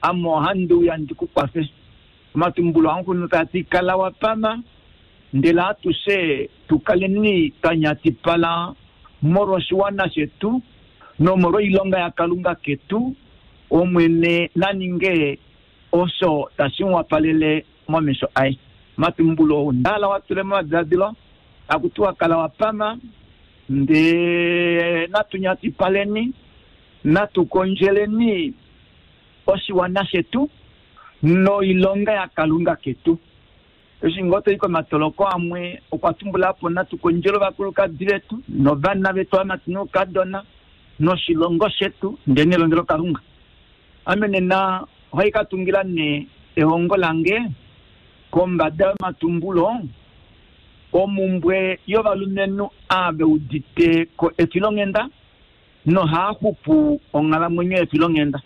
Ame ohandi uya ndi ku kwafe. Omatumbulo aNghunu taa ti, Kala wa pama, ndele atushe tu kaleni twa nyatipala molwoshiwana shetu nomolwoilonga yaKalunga ketu, Omwene na ninge osho tashi mu wapalele momesho aye. Omatumbulo oo nda hala wa tule momadiladilo, taku tiwa kala wa pama, ndee natu nyatipaleni, natu kondjeleni oshiwana shetu noilonga yaKalunga ketu. Eshi ngoo to i komatoloko amwe, okwa tumbula po natu kondjele ovakulukadi vetu novana vetu ovamati noukadona noshilongo shetu ndee nelongelokalunga. Ame nena ohai ka tungila nee ehongo lange kombada yomatumbulo omumbwe yovalumenhu ava ve udite ko efilonghenda nohaa xupu onghalamwenyo yefilonghenda.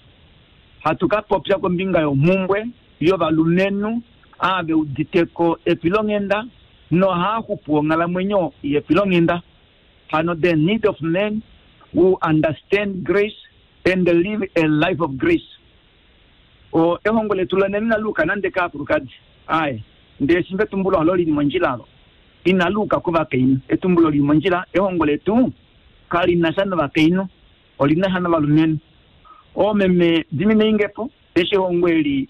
Hatu ka popya kombinga yomhumbwe yovalumenhu ava ve udite ko efilonghenda nohaa xupu onghalamwenyo yefilonghenda. Hano the need of men who understand grace and live a life of grace. O, ehongo letu lonena inali uka nande kaakulukadi. Aye. Ndele shimba etumbulo olo li li mondjila olo inali uka kovakainhu. Etumbulo li li mondjila, ehongo letu kali na sha novakainhu, oli na sha novalumenhu. Oomeme, diminei nge po, eshi ehongo eli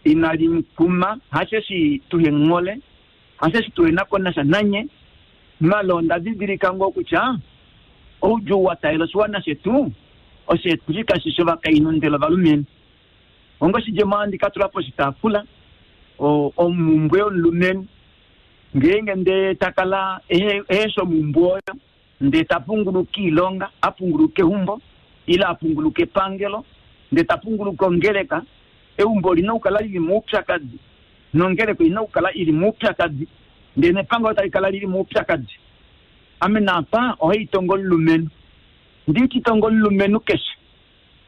inali kuma, hasheshi tuhe mu hole, hasheshi tuhe na ko nasha nanye, malo onda didilika ngoo kutya oudjuu wa taalela oshiwana shetu oshetu kashi shi ovakainhu ndele ovalumenhu. Onga oshidjemo ohandi ka tula poshitaafula omhumbwe yomulumenhu ngeenge ndee ta kala ehe shi omhumbwe oyo ndee ta punguluka oilonga, a punguluka eumbo ile a punguluka epangelo ndee ta punguluka ongeleka. Eumbo oli na okukala li li moupyakadi nongeleka oi na okukala i li moupyakadi ndee nepangelo tali kala li li moupyakadi. Ame naapa ohai tongo omulumenhu. Ndi ti tongo omulumenhu keshe.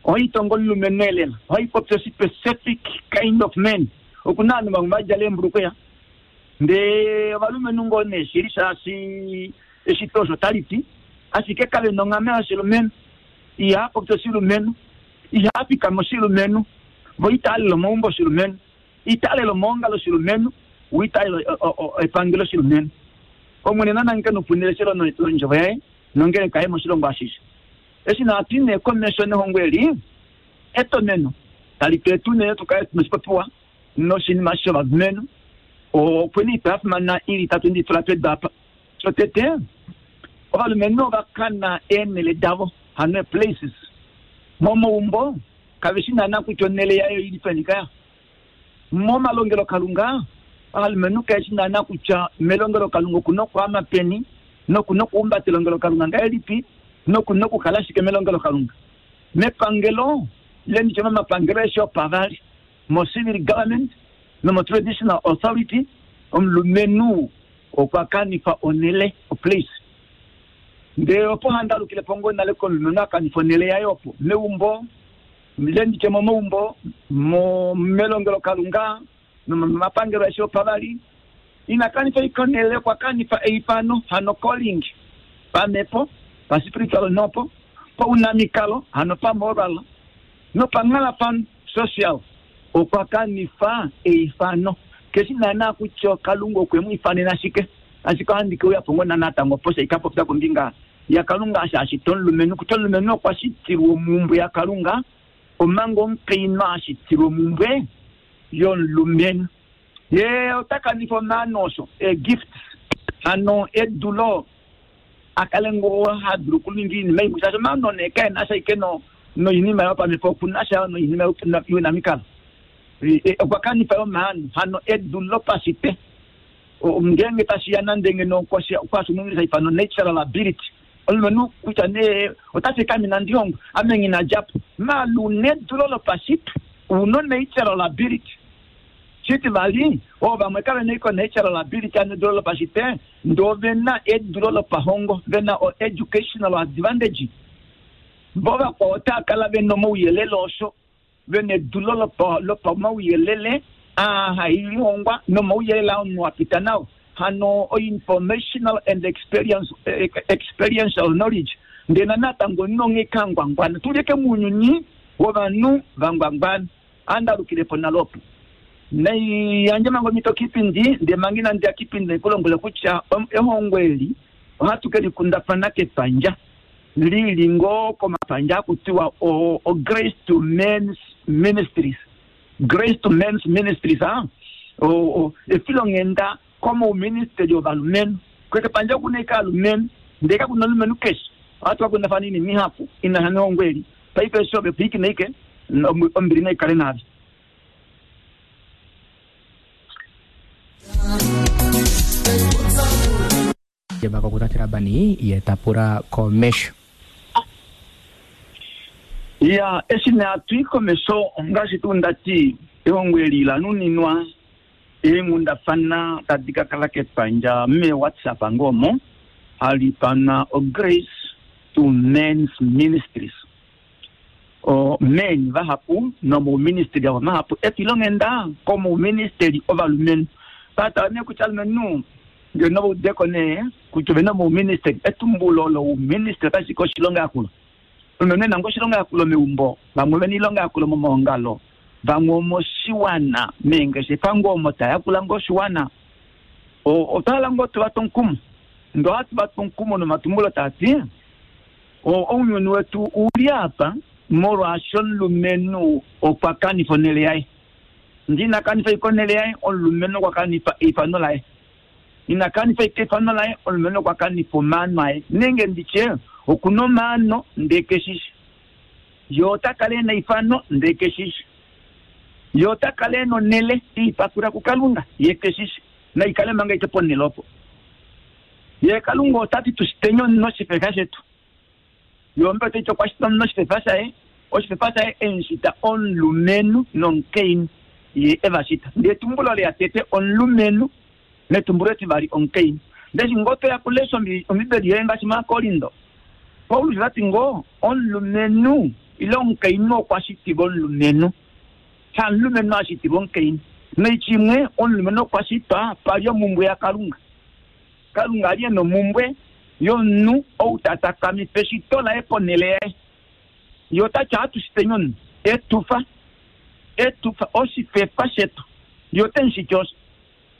Ohai tongo omulumenhu elela. Ohai popi ospecific kind of man. Oku na ovanhu vamwe va djala eembulukweya ndee ovalumenhu ngoo nee shili shaashi eshito osho tali ti, ashike kave na onghama yoshilumenhu. Ihaa popi oshilumenhu, ihaa fikama oshilumenhu, vo itaa lele omaumbo oshilumenhu, itaa lele omaongalo oshilumenhu, vo itaa lele epangelo oshilumenhu. Omwene na nangeke noupuna eleshelo londjovo yaye nongeleka yaye moshilongo ashishe. Eshi natu i nee komesho nehongo eli, etomeno tali tu eta unene tu kale tu na oshipopiwa noshinima shovalumenhu. Opu na oitwa ya fimana i li itatu ndi i tula pedu apa. Shotete, ovalumenhu ova kana eenhele davo, hano ee-places, momaumbo, kave shi naana kutya onhele yaye oi li peni kaya. Momalongelokalunga, ovalumenhu kave shi naana kutya melongelokalunga oku na okwaama peni, noku na okuhumbata elongelokalunga ngahelipi, noku na okukala shike melongelokalunga. Mepangelo, ile nditye momapangelo aeshe opavali, moCivil Government nomoTraditional Authority, omulumenhu okwa kanifa onhele, oplace. Ndele opo handi alukile po ngoo nale komulumenhu a kanifa onhele yaye opo, meumbo, ile nditye momaumbo, melongelokalunga nomomapangelo aeshe opavali. Ina kanifa ashike onhele, okwa kanifa eifano, hano calling, pamhepo, paspiritual nopo paunamikalo, hano pamoral, nopanghalafano, social. Okwa kanifa eifano. Keshi naana kutya Kalunga okwe mu ifanena shike, ashike ohandi ke uya po ngoo natango opo shai ka popya kombinga yaKalunga eshi a shita omulumenhu, kutya omulumenhu okwa shitilwa omhumbwe yaKalunga, omanga omukainhu a shitilwa omhumbwe yomulumenhu. Ye ota kanifa omaano osho, ee-gifts, hano edulo a kale ngoo ha dulu okuninga oinima imwe, shaashi omaano nee kae na sha ashike noinima yopamhepo, oku na sha yo noinima younamikalo. Okwa kanifa yo omaano, hano edu lopashitwe. Ngeenge tashi ya nande ngeno okwa sha ifanwa natural ability, omulumenhu kutya nee ota ti ame inandi hongwa, ame nghi na dja po. Maala una edulo lopashitwe, una o-natural ability. Shitivali, oovamwe kave na ashike o-natural ability, hano edulo lopashitwe, ndee ove na edulo lopahongo, ve na o-educational advantage. Vo vakwao otava kala ve na omauyelele osho ve na edulo lopamauyelele aa hai lihongwa nomauyelele aa omunhu a pita nao, hano o-informational and experiential knowledge. Ndee natango omunhu onghee ka ngwangwana. Tu li eke mounyuni wovanhu va ngwangwana. Andalukile po nale opo naiyandje manga omhito kipindi ndee manga inandi ya kipindi naiku lombwele kutya ehongo eli ohatu ke likundafana kepandja lili ngoo komapandja akutiwa o Grace to Men's Ministries, Grace to Men's Ministries, a efilonghenda komauministeli ovalumenhu. Kekepandja okuna ike alumenhu ndee kakuna omulumenhu keshe. Ohatu kakundafana oinima ihapu inasha nehongo eli. Paife eshi ove pwiikina ike ombili naikale naave. Jeba Labani ye ta pula komesho. Ya eshi ne atui komesho ngaashi tuu ndati ehongo eli la nuninwa eenghundafana tadi ka kala kepandja me WhatsApp ngomo hali ifanwa o Grace to Men's Ministries. O men vahapu nomouministeli avo mahapu efilonghenda komouministeli ovalumenhu. Patala nee kutya alumenhu ngeno vaudeko nee kutya ovena omouministeli, etumbulo louministeli otashi ka oshilonga yakulo. Omulumenhu ena ngoo oshilonga yakulo meumbo, vamwe ovena oilonga yakulo momaongalo, vamwe omoshiwana meengeshefa ngoo omo tayakula ngoo oshiwana. Otwa hala ngoo tuva twe omukumo, ndee ohatu va tu omukumo nomatumbulo taati ounyuni wetu uli apa molwaashi omulumenhu okwa kanifa onhele yaye. Ndee ina kanifa ike onhele yaye, omulumenhu okwa kanifa eifano laye. Ina kanifa ike eifano laye, omulumenhu okwa kanifa omaano aye. Nenge nditye okuna omaano ndee keshishi. Ye ota kala ena eifano ndee keshishi. Ye ota kala ena onhele eipatula kuKalunga ye keshishi. Naikale manga ike ponhele opo. Ye Kalunga ota ti tushiteni omunhu oshifefa shetu. Ye ombe otaiti okwa shita omunhu oshifefa shaye, oshifefa shaye emushita omulumenhu nomukainhu ye eva shita. Ndee etumbulo leya tete omulumenhu netumbulo etivali omukainhu. Ndeshi ngoo toya kulesha ombibeli yoye ngaashi maaKorindo, Paulus otati ngoo omulumenhu ile omukainhu okwa shitilwa omulumenhu, hamulumenhu a shitilwa omukainhu. Noitya imwe omulumenhu okwa shitwa pali omumbwe yaKalunga. Kalunga ali ena omumbwe yomunhu ou ta takamifa eshito laye ponhele yaye. Ye otati ohatu shiteni omunhu etufa, etufa oshifefa shetu. Ye ote mushiti osho.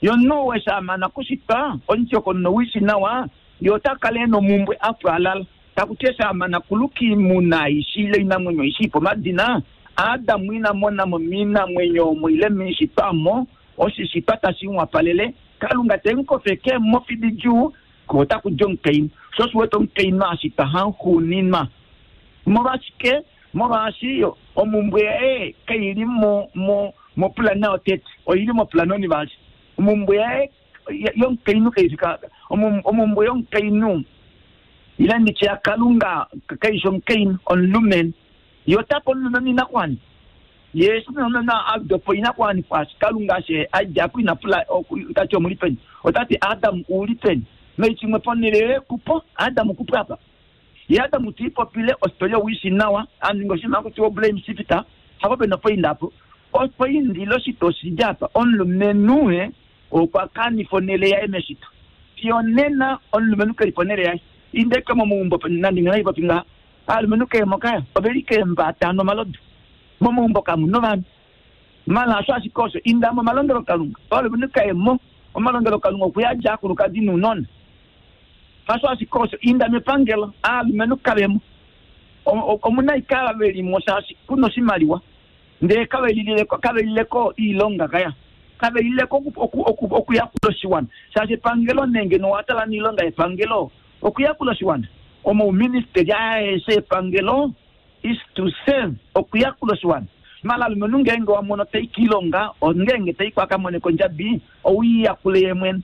Ye omunhu ou eshi a mana kushitwa omutyokonono wishi nawa, ye ota kala ena omumbwe a pwaalala. Takuti eshi a mana kuluka oimuna aishe ile oinamwenyo aishe ipa omadina, Adam ina monamo moinamwenyo omo ile moishitwa omo oshishitwa tashi mu wapalele. Kalunga te mu kofeke mofi didjuu, ko otaku di omukainhu. Sho osho wete omukainhu a shitwa hauxuuninwa. Molwashike? Molwaashi omumbwe yaye kaili mopulana yotete, oili mopulana onivali. Omumbwe yaye yomukainhu kaifi omumbwe yomukainhu ile nditye yaKalunga kaifi omukainhu, omulumenhu. Ye ota pe omulumenhu oinakuwanifwa. Ye eshi omulumenhu a dopa oinakuwanifwa, Kalunga eshi a dja po ina pula tati omuli peni, ota ti Adam ouli peni? Noitya imwe ponhele yoye kupo, Adam kupo apa. Ye Adam te ipopile ositoria owishi nawa, a ninga oshinima hakutiwa oblame shifter, hapo pena opoinda apo. Opoindi ile oshitwa oshili apa, omulumenhu okwa kanifa onhele yaye meshito. Fiyo onena omulumenhu keli ponhele yaye. Inda ike momaumbo nande ngeno haipopi ngaha, ovalumenhu keemo kaya, oveli keembata nomalodu. Momaumbo kamuna ovanhu. Mala hasho ashike osho, inda momalongelokalunga, ovalumenhu kaemo, omalongelokalunga okuyadja aakulukadi nounona. Hasho ashike osho, inda mepangelo, aalumenhu kavemo. Omuna ike ava velimo shaashi kuna oshimaliwa, ndee kavelileko oilonga kaya. Kavelileko okuyakula oshiwana. Shaashi epangelo nenge nowatala noilonga yepangelo, okuyakula oshiwana. Omauministeli aeshe epangelo is to serve okuyakula oshiwana. Mala alumenhu ngeenge wa mono tai kiilonga, ongeenge tai kwa kamone kondjabi, owiiyakule ye mwene.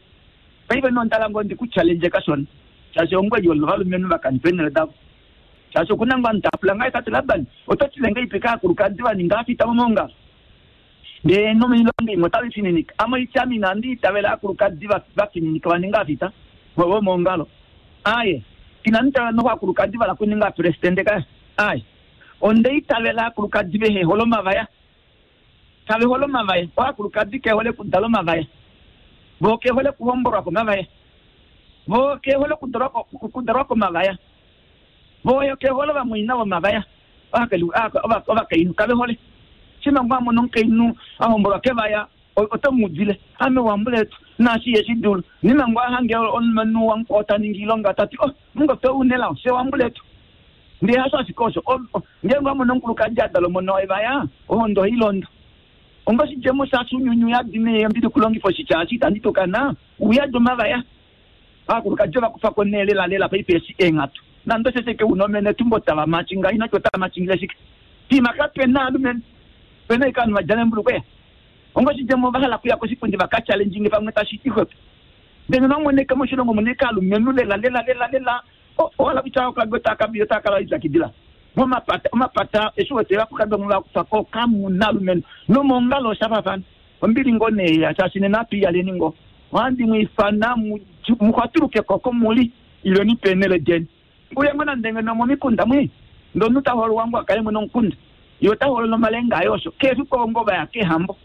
Paife nondala ngoo ndi ku challenge kashona. Shaashi ongweli ovalumenhu vakanifa eenhele davo. Shaashi okuna ngoo ovanhu tava pula ngaa tate Laban, oto tile ngahelipi kaakulukadi va ninga aafita momaongalo? Ndee nomoilonga imwe otave fininika. Ame oitya ame inandi itavela aakulukadi va fininika va ninga aafita vomoongalo. Aaye, inandi itavela noho aakulukadi vala kuninga aapresidente kaya. Aaye, onda itavela aakulukadi vehe hole omavaya. Kave hole omavaya. Oakulukadi ke hole okudala omavaya. Vo ke hole okuhombolwa komavaya. Vo ke hole okudalwa komavaya. Vo ke hole ovamwaina vomavaya. Ovakainhu kave hole. Shima ngoo a mona omukainhu a hombolwa kevaya, ote mu udile, Ame wambuletu, naashi ihe shi dulu. Nima ngoo a hange omulumenhu wamukwao ta ningi oilonga, ta ti, Oh, mungote ou nelao, fye wambuletu. Ndele hasho ashike osho, ngeenge owa mona omukulukadi a dala omona wevaya, ohondo ohai londo. Onga oshidjemo shaashi ounyuni uyadi neembi dokulongifa oshitya eshi itandi tukana, uyadi omavaya. Aakulukadi ova kufa ko nee lelalela paife eshi eenghatu. Nande osheshi eke una omene etumbo tava machinga inati otava machingile shike. Piima kape na alumenhu. Ope na ashike ovanhu va djala eembulukweya. Onga oshidjemo ova hala okuya koshipundi va ka challenge pamwe tashi ti xwepo. Ndele nonande moshilongo omuna ashike aalumenhu lela lela lela lela owa hala kutya aakulukadi otava kala ve lipyakidila. Momapata omapata eshi wete ovakulukadi vamwe va kufa ko kamu na alumenhu. Nomoongalo osha faafana. Ombili ngoo nee ya shaashi nena atu iyaleni ngoo. Ohandi mu ifana mu xwatuluke ko oko mu li, ileni peenhele deni. Uye ngoo nande ngeno omomikunda mwi, ndee omunhu ta hoololwa ngoo a kale mwene womukunda, ye ota hoolola omalenga aye osho. Keshe efiku ovo ngoo va ya keehambo.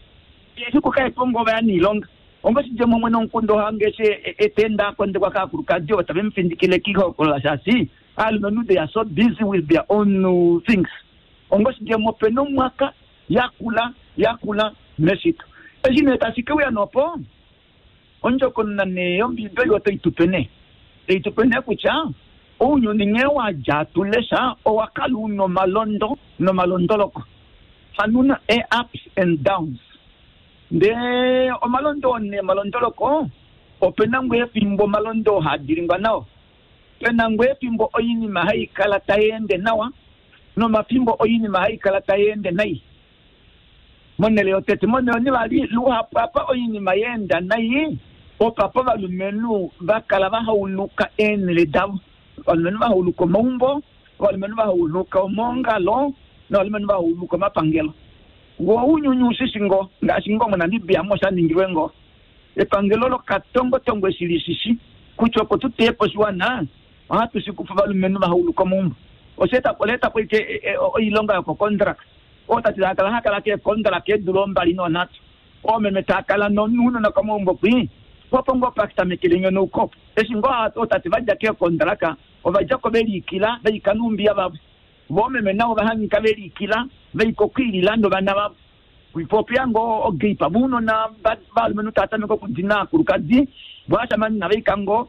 Keshe efiku kae po ngoo va ya noilonga. Onga oshidjemo mwene womukunda oha hange eshi ta ende a kondekwa kaakulukadi ovo tave mu findikile kiihokolola shaashi aalumenhu they are so busy with their own things. Onga oshidjemo ope na omwaka yakula yakula meshito. Eshi nee tashi ke uya nopo, ondjokonona nee yOmbiibeli otai tu pe nee, tai tu pe nee kutya ounyuni nghee wa dja hatu lesha owa kala u na omalondo nomalondoloko, hano u na ee-ups and downs. Ndee omalondo oo nee omalondoloko, ope na ngoo efimbo omalondo oo haa dilingwa nao, pe na ngoo efimbo oinima hai kala tai ende nawa, nomafimbo oinima hai kala tai ende nai. Monhele yotete, monhele onivali, luhapu apa oinima ya enda nai, opapa ovalumenhu va kala va hauluka eenhele davo. Ovalumenhu va hauluka omaumbo, ovalumenhu va hauluka omaongalo, novalumenhu va hauluka omapangelo. Wo ounyuni u shi shi ngoo, ngaashi ngoo moNamibia mo sha ningilwe ngoo. Epangelo lokatongotongo eshi li shi shi kutya opo tu teye po oshiwana, Ohatu shi kufa ovalumenhu va hauluka omaumbo. Osha eta ola eta po ashike oilonga yokokondraka. Ootate tava kala hava kala keekondraka eedula ombali nonhatu. Oomeme tava kala nounona komaumbo kwii. Po opo ngoo pa tamekele enyonauko opo. Eshi ngoo ootate va dja keekondraka, ova dja ko ve liikila, va ika noumbiya vavo. Vo oomeme navo ova hangika ve liikila, va ika okwiilila novana vavo. Po opeya ngoo ogape, ounona valumenhu tava tameke okudina aakulukadi, vo ovashamane inava ika ngoo.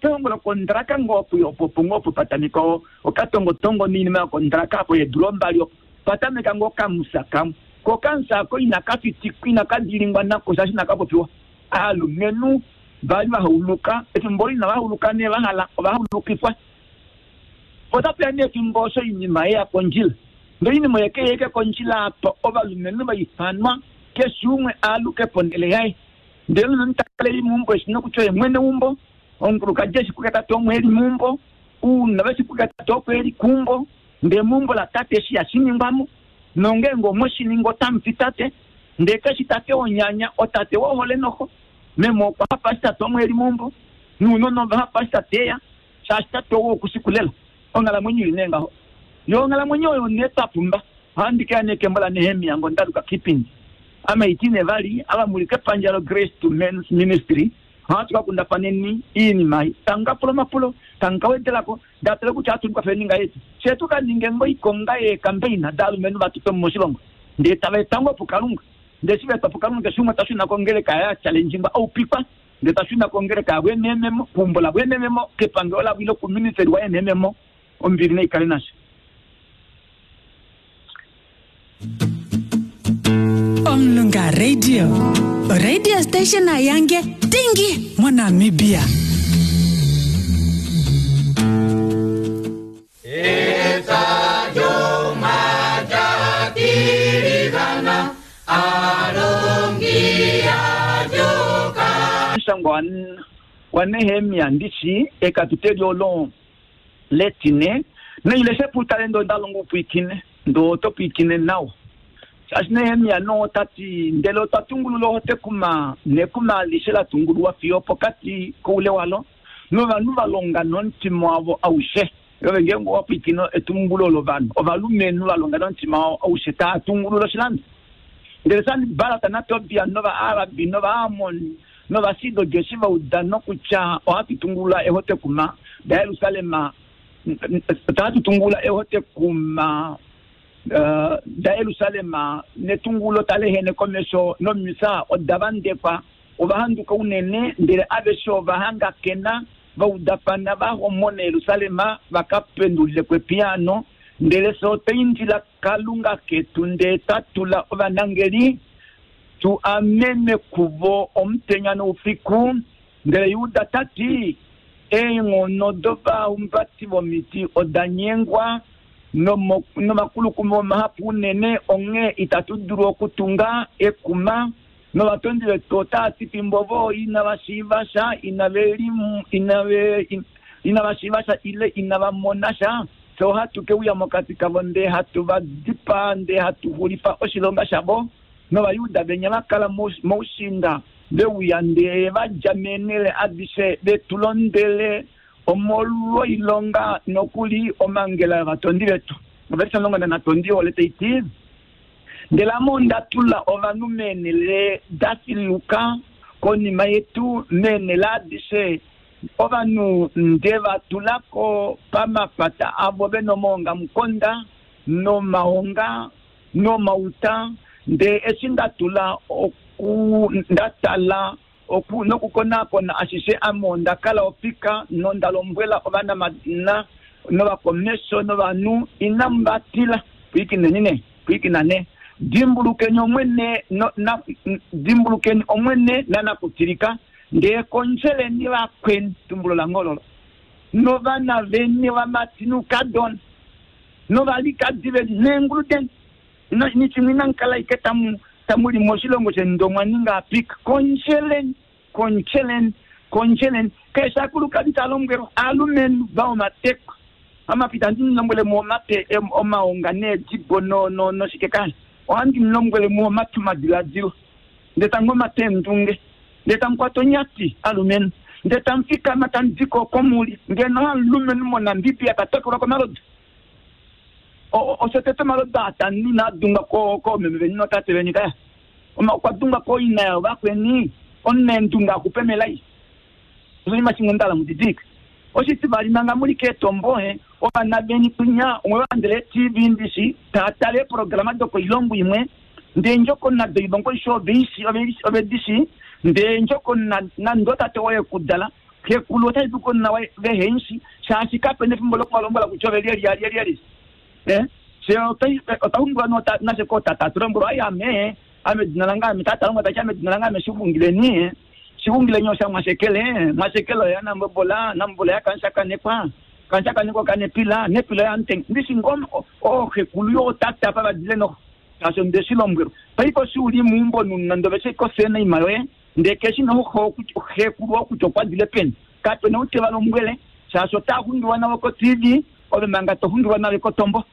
Pehongo lokondraka ngoo opo opo ngoo opo pa tameka okatongotongo noinima yokondraka apo yeedula ombali opo pa tameka ngoo okamusa kamwe. Ko okamusa ako inaka fitikwa, inaka dilingwa nako shaashi inaka popiwa. Aalumenhu vali va hauluka, efimbo olo inava hauluka nee va hala, ova haulukifwa. Otapu ya nee efimbo osho oinima ye ya kondjila. Ndele oinima oye ke ya ashike kondjila apa ovalumenhu va ifanwa keshe umwe a aluke ponhele yaye. Ndele omunhu ta kala e li meumbo e shi nokutya oye mwene weumbo, omukulukadi e shi kutya tate omo e li meumbo, ounona ve shi kutya tate oko e li keumbo, ndele meumbo latate eshi ihashi ningwa mo, nongeenge omwe shi ningi otamu fi tate, ndele ke shi tate wonyanya, otate wohole noho. Meme okwa hafa eshi tate omo e li meumbo, nounona ova hafa eshi tate e ya, shaashi tate ou oku shi kulela. Onghalamwenyo i li nee ngaho. Yo onghalamwenyo oyo nee twa pumba. Ohandi ke ya nee kembo laNehemia ngondaluka kIipindi. Ame iti nee vali, ava mu li kepandja loGrace to Men's Ministry, ohatu ka kundafaneni iinima ei. Tamu ka pula omapulo, tamu ka wedela ko, ndele hatu tale kutya ohatu likwafeleni ngahelipi. Fye tu ka ninge ngoo oikonga yeekambeina daalumenhu va tutwe mo moshilongo, ndele tava etwa ngoo puKalunga. Ndele eshi va etwa puKalunga, keshe umwe ta shuna kongeleka yaye a challengingwa, a upikwa, ndele ta shuna kongeleka yavo eneememo, keumbo lavo eneememo, kepangelo lavo ile kuministeli waye eneememo. Ombili nai kale nasho. Omulunga Radio, oradio station yange dingi moNamibia. Omushangwa waNehemia ndishi ekatuteli olo letine noileshe putale ndoo nda longa upwiikine ndoo oto pwiikine nawa. Shaashi Nehemia noo ota ti, Ndele otwa tungulula ohotekuma, nekuma alishe la tungululwa fiyo opokati koule walo, novanhu va longa nomutima wavo aushe. Ove ngeenge owa pwiikine etumbulo lovanhu, ovalumenhu va longa nomutima wavo aushe tava tungulula oshilando. Ndele Sanballat naTobia nOvaarabi nOvaammoni nOvasidodi eshi va uda nokutya ohatu tungulula ehotekuma laJerusalem, ohatu tungulula ehotekuma. daJerusalem netungulo tali ehene komesho nomifya oda vandekwa, ova handuka unene, ndele aveshe ova hangakena va udafana va homone Jerusalem va ka pendulile ko epiyaano. Ndele fye otwa indila Kalunga ketu ndee twa tula ovanangeli tu amenwe kuvo omutenya noufiku. Ndele Juda ta ti, Eenghono dovahumbati vomiti oda nyengwa, nomakulukuma omahapu unene, onghee itatu dulu okutunga ekuma. Novatondi vetu otava ti fimbo vo inava shiiva sha, inava shiiva sha ile inava mona sha, fye ohatu ke uya mokati kavo ndee hatu va dipaa ndee hatu xulifa oshilonga shavo. NOvajuda venya va kala moushiinda ve uya ndee va dja meenhele adishe ve tu londele omolwoilonga nokuli omhangela yovatondi vetu. Ovelishe 13 ole tai ti, Ndele ame onda tula ovanhu meenhele da filuka konima yetu meenhele adishe, ovanhu nde va tula ko pamapata avo ve nomaongamukonda nomaonga nomauta, ndee eshi nda tula oku nda tala oku nokukonaakona ashishe, ame onda kala ofika nonda lombwela ovanamadina novakomesho novanhu, Inamu va tila. Pwilikineni ne, pwilikina ne, dimbulukeni Omwene no, na, dimbulukeni Omwene nanakutilika, ndee kondjeleni vakweni, tumbulo lange ololo, novana veni vamati noukadona, novalikadi veni neengulu deni. Nishimwe inamu kala ashike tamu tamu li moshilongo sheni ndee omwa ninga apika. Kondjeleni, kondjeleni, kondjeleni. Keshe akulukadi ta lombwelwa, aalumenhu va omatekwa. Amapita ohandi mu lombwele mu omate omaonga needibo no no noshike kaya. Ohandi mu lombwele mu omate omadiladilo. Ndee tamu omate eendunge. Ndee tamu kwata onyati, alumenhu. Ndee tamu fikama tamu di ko oko mu li. Ngeno omulumenhu moNamibia ta tokelwa komalodu. Osho tete omalodu aa tanu inaa dungwa koomeme veni nootate veni kaya. Okwa dungwa kooina yovakweni, omunaendunge a xupe melai. Oshinima shimwe nda hala mu didilike. Oshitivali, manga mu li keetombo, ovana veni kwinya omwe va landela ee-TV ndishi, taa tale eeprograma dokoilongo imwe, ndee endjokonona doilongo aishe ove di shii, ndee endjokonona nande otate woye e ku dala, Xekulu ota dulu konima waye vehe mu shi, shaashi kape na efimbo loku va lombwela kutya ove lyelye alyelyelye. Eh, fye otwa xungilwa nota nashe kootata atu lombwelwa, ai ame, ame edina lange ame, tata lombwela tati ame edina lange ame Shixungileni, Shixungileni osha Mwashekele, Mwashekele oya Nambobola, Nambobola yaKanshakanekwa, Kanshakanekwa okaNepila, Nepila oyaAmutenya. Ndishi ngoo ooxekulu yootata apa va dile noho, shaashi onde shi lombwelwa. Paife oshi u li meumbo nande ove shi koseenaima yoye, Ndee keshi noho xekulu oo kutya okwa dile peni. Kape na ou te va lombwele, shaashi otaa xungilwa navo ko-TV, ove manga to xungilwa nale kotombo.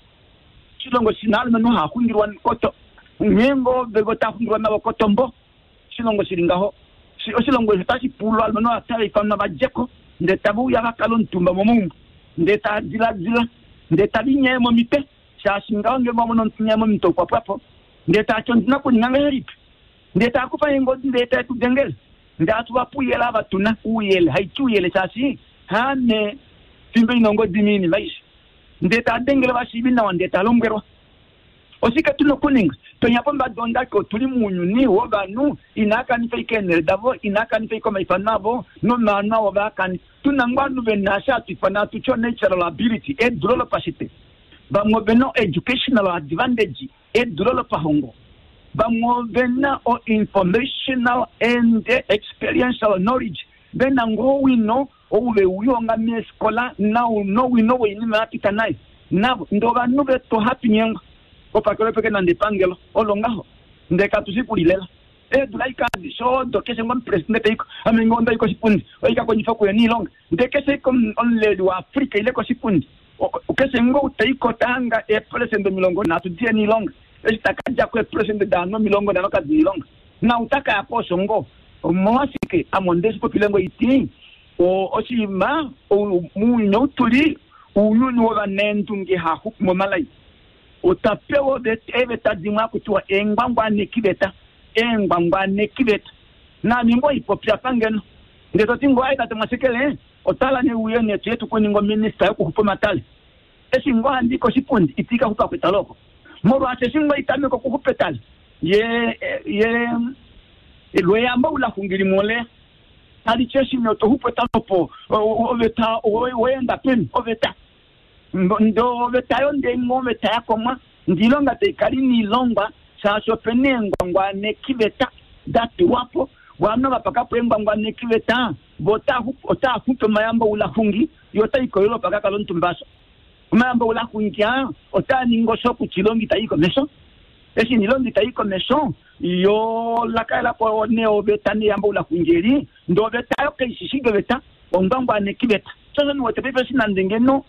Oshilongo shi na aalumenhu haa xungilwa koto, nghee ngoo ve otaa xungilwa navo kotombo. Oshilongo shi li ngaho. Oshilongo eshi otashi pula ovalumenhu ava tava ifanwa va dje ko, ndee tave uya va kale omutumba momaumbo, ndee tava diladila, ndee tava inyaye momitwe, shaashi ngaho ngeenge wa mono omunhu ta inyaye momitwe okwa pwa po, ndee taa ti ondi na okuninga ngahelipi? Ndee taa kufa eengodi ndee tae tu dengele, ndee hatu va pe ouyele ava tu na, ouyele, haiti ouyele shaashi haame fimbo ina ongodi moinima aishe. Ndee taa dengele ovashiivi nawa ndee ta lombwelwa oshike tu na okuninga. Penya pombada ondake otu li mounyuni wovanhu inaa kanifa ashike eenhele davo, inaa kanifa ashike omaifano avo nomaano avo vaa kanifa. Tu na ngoo ovanhu ve na eshi hatu ifana hatu ti o-natural ability, edulo lopashitwe. Vamwe ove na o-educational advantage, edulo lopahongo. Vamwe ove na o-informational and experiential knowledge, ve na ngoo owino ou ve u lihonga meefikola nowino woinima ya pita nayo. Navo ndee ovanhu vetu ohatu nyengwa kopakelo peke nande epangelo olo ngaho ndee katu shi kulilela. Eedula ashike adishe odo keshe ngoo omupresidente taiko, ame ngee onda i koshipundi oika kondjifa okuya niilonga ndee keshe ashike omuleli waAfrica ile koshipundi Keshe ngoo ou ta i ko ta hanga eepelesenda 30 dihe na oilonga, eshi ta ka dja ko eepelesenda daanhu 50 kadi na oilonga, naau ta ka ya ko osho ngoo. Omolwashike ame onde shi popile ngoo iti, oshinima mounyuni ou tu li, ounyuni wovanaendunge haa xupu momalai. Otwa pewa eeveta dimwe haku tiwa eengwangwanekiveta, eengwangwanekiveta. Naame ngoo ipopi apa ngeno, ndee to ti ngoo, Ai tate Mwashekele, Otala ne uye ne tuye tu ku ninge ominista yokuxupa omatale. Eshi ngoo handi i koshipundi, iti ka xupa kwetale oko. Molwaashi eshi ngoo itameka okuxupetala ye ye lweyamba ulaxungili mole tali ti eshi nee toxupeta opo oveta oweenda peni oveta ndo oveta yo ndee ngoo oveta yakomwa ndiilonga taikala ina ilongwa shaashi opena eengwangwanekiveta datulwapo ovanhu vapakapo eengwangwanekiveta vo otaaxupe omayambo oulaxungi yo otaikoyelwa pakakala omutumba asho omayambo oulaxungi aa otaaningi osho kutya ilonga itayi komesho eshi nilonga itayi komesho yo lakaelapo nee oveta neyambo oulaxungi eli ndee oveta yo kaishishi oveta ongwangwanekiveta shosho niwete paife eshi nande ngeno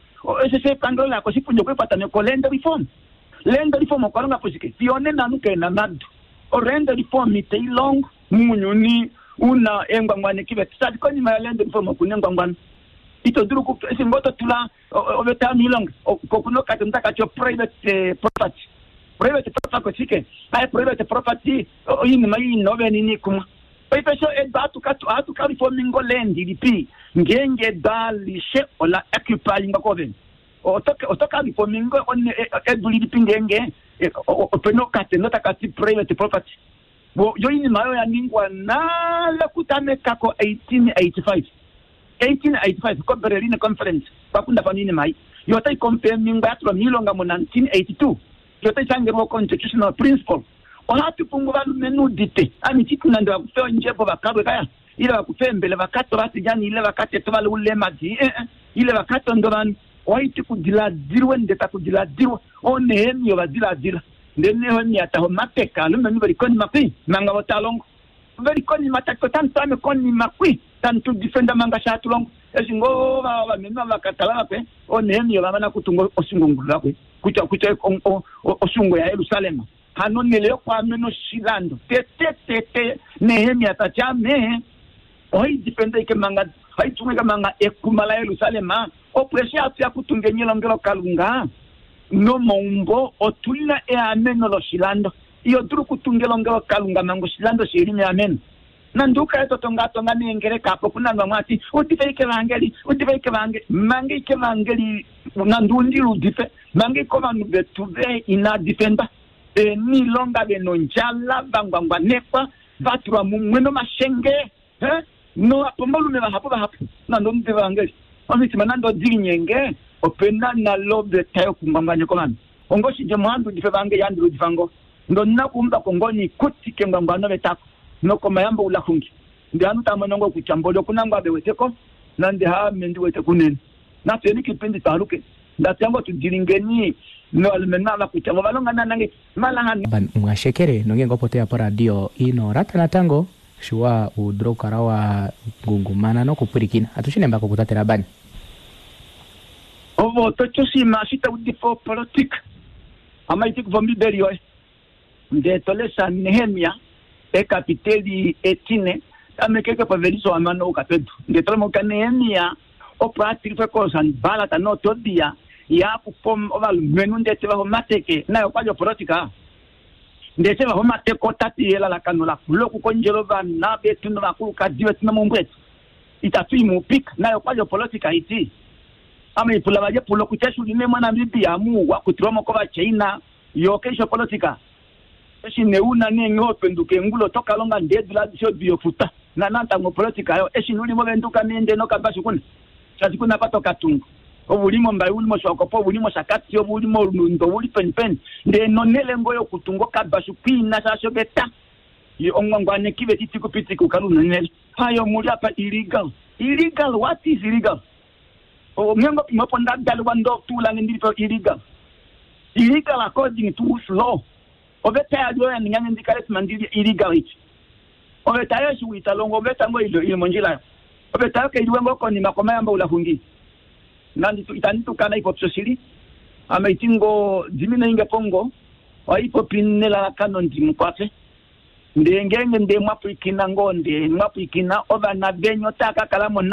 eshe epangelo laya koshipundi okwepataneko land reform land reform okwa longa po shike fiyo onena ovanhu kena madu o-land reform itailongo mounyuni una eengwangwanekiveta shaashi konima ya land reform okuna engwangwano ito dulu eshi ngoo totula oveta yomiilonga kokuna okatendo takati private property private property oshike aye private property oinima ina ovenini kumwa paife sho edu ohatu ka reforminga land ilipi ngeenge edu alishe ola occupyingwa kovene oto ka reforminga edu lilipi ngeenge opena okatendo takati private property yo oinima oyo yaningwa nale okutameka ko 1885 1885 ko Berlin Conference kwakundafana oinima ei yo otai confirmingwa yatulwa miilonga mu 1982 yo otai shangelwa constitutional principle ohatu pumbwa ovalumenhu udite ame titi nande vakufe ondjebo vakalwe kaya ile vakufe eembele vakate ovatilyani ile vakatete ovaleulema ile vakatonde ovanhu ohaiti kudiladilwe ndee takudiladilwa oonehemia ovadiladila ndee Nehemia taha omapeka alumenhu veli konima kwi manga vo talongo veli konima tati otamu konima kwi tamu tu defenda manga shaatulongo eshi ngoo ovamenhu vakatala vakwe oonehemia ovamana kutunga oshungongulu vakwe kutya kutya oshungo yaJerusalem hano nele yokwaamena oshilando tete tete Nehemia tati ame ohaidifenda ike manga haitunga ike manga ekuma laJerusalem opo eshi hatu ya kutunga elongelokalunga nomaumbo otuna eameno loshilando iyo dulu okutunga elongelokalunga manga oshilando shili meameno nande ukale totongatonga neengeleka apo kuna vamwe ati udife ike evangeli udife ike evangeli manga ike evangeli nande undile udife manga ike ovanhu vetu ve inadifenda veniilonga vena ondjala vangwangwanekwa vatulwa mumwe nomashenge novapomalume vahapu vahapu nande omudife evangeli omitima nande odilinyenge opena nalo oveta yokungwangwaneka ovanhu ongoshidjemo ohandi udifa evangeli handi ludifa ngo ndonna kuumbako ngoo niikuti kengwangwano vetako nokomayambo ulaxungi ndee ovanhu tamono ngoo kutya mboli okuna ngoo aveweteko nande haame ndiwete kunene natuyeni kiipindi twaaluke ndatuya ngoo tudilingeni novalumenhu ava kutya vo ovalonga naana malahani Mwashekele nongeenge opo toya poradio ino lata natango shiwa udule okukala wa ngungumana nokupwilikina atushi nembako kutate Labani ovo toti oshinima eshi taudifa opolitika amaiti kuva ombibeli yoye ndee tolesha Nehemia ekapiteli etine tamekeke paveliso hamano uka pedu ndee tolemo Nehemia opo atilifwe koSanballat noTobia yakufa ovalumenhu ndee teva omateke naye okwali opolitika ndee teva omateke otati elalakano lakula okukondjela ovana vetu novakulukadi vetu nomaumbo etu itatu i muupika naye okwali opolitika iti ame ipula valye pulo kutya eshi uli moNamibia mu wakutilwamo kovachina yo keishi opolitika eshi neuna nee openduka engulo otokalonga ndee edula adishe odiyofuta nanatango opolitika yo eshi nuli movenduka nende nokabashu kuna shaashi kuna apa tokatunga ovuli mombaye uli moshiwakopo ovuli moshakati ovuli molundo ovuli peni peni ndee nonele ngo yokutunga okabashu kwiina shaashi oveta ongwangwaneki vetiti kupitika ukale unonele hayo muli apa illegal illegal what is illegal ongengo pimwe ndadalwa ndotulange ndilipo illegal illegal according to whose law oveta yalyo yaningange ndikale tima ndili illegal iti oveta yo eshi witalongo oveta ngo ili mondjila yo oveta yo kailiwe ngo konima komayamba ulaxungi nandi itandi tukana ipopi shoshili ame iti ngo dimine inge pongo ohaipopi nelalakano ndimukwafe ndee ngeenge ndee mwapwilikina ngoo ndee mwapwilikina ovana veni otaa ka kala mo.